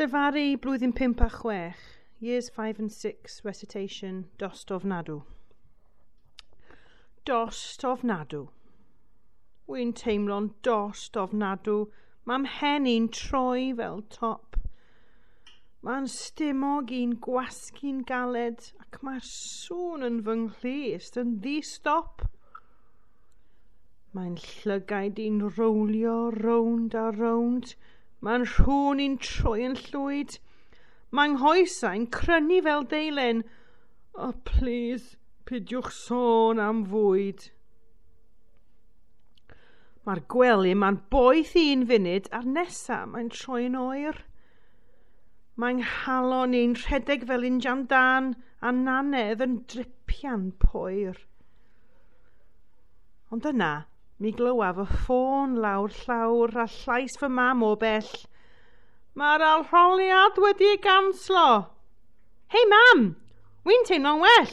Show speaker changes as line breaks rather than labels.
Llefaru blwyddyn 5 a 6, years 5 and 6, recitation, Dost Ofnadw. Dost ofnadw. Wy'n teimlo'n dost ofnadw. Mae'm mhen i'n troi fel top. Mae'n stumog i'n gwasgu'n galed ac mae'r sŵn yn fy nghlust yn ddi-stop. Mae'n llygaid i'n rowlio rownd a rownd. Mae'n rhwn i'n troi yn llwyd. Mae'n nghoesau'n crynu fel deilen. Oh, please, pidiwch sôn am fwyd. Mae'r gwely ma'n boeth un funud a'r nesa mae'n troi'n oer. Mae'n nghalon i'n rhedeg fel injan dân a nanedd yn dripian poer. Ond yna, mi glywaf y ffôn lawr llawr a llais fy mam o bell. Mae'r arholiad wedi ei ganslo. Hei mam, wy'n teimlo'n well.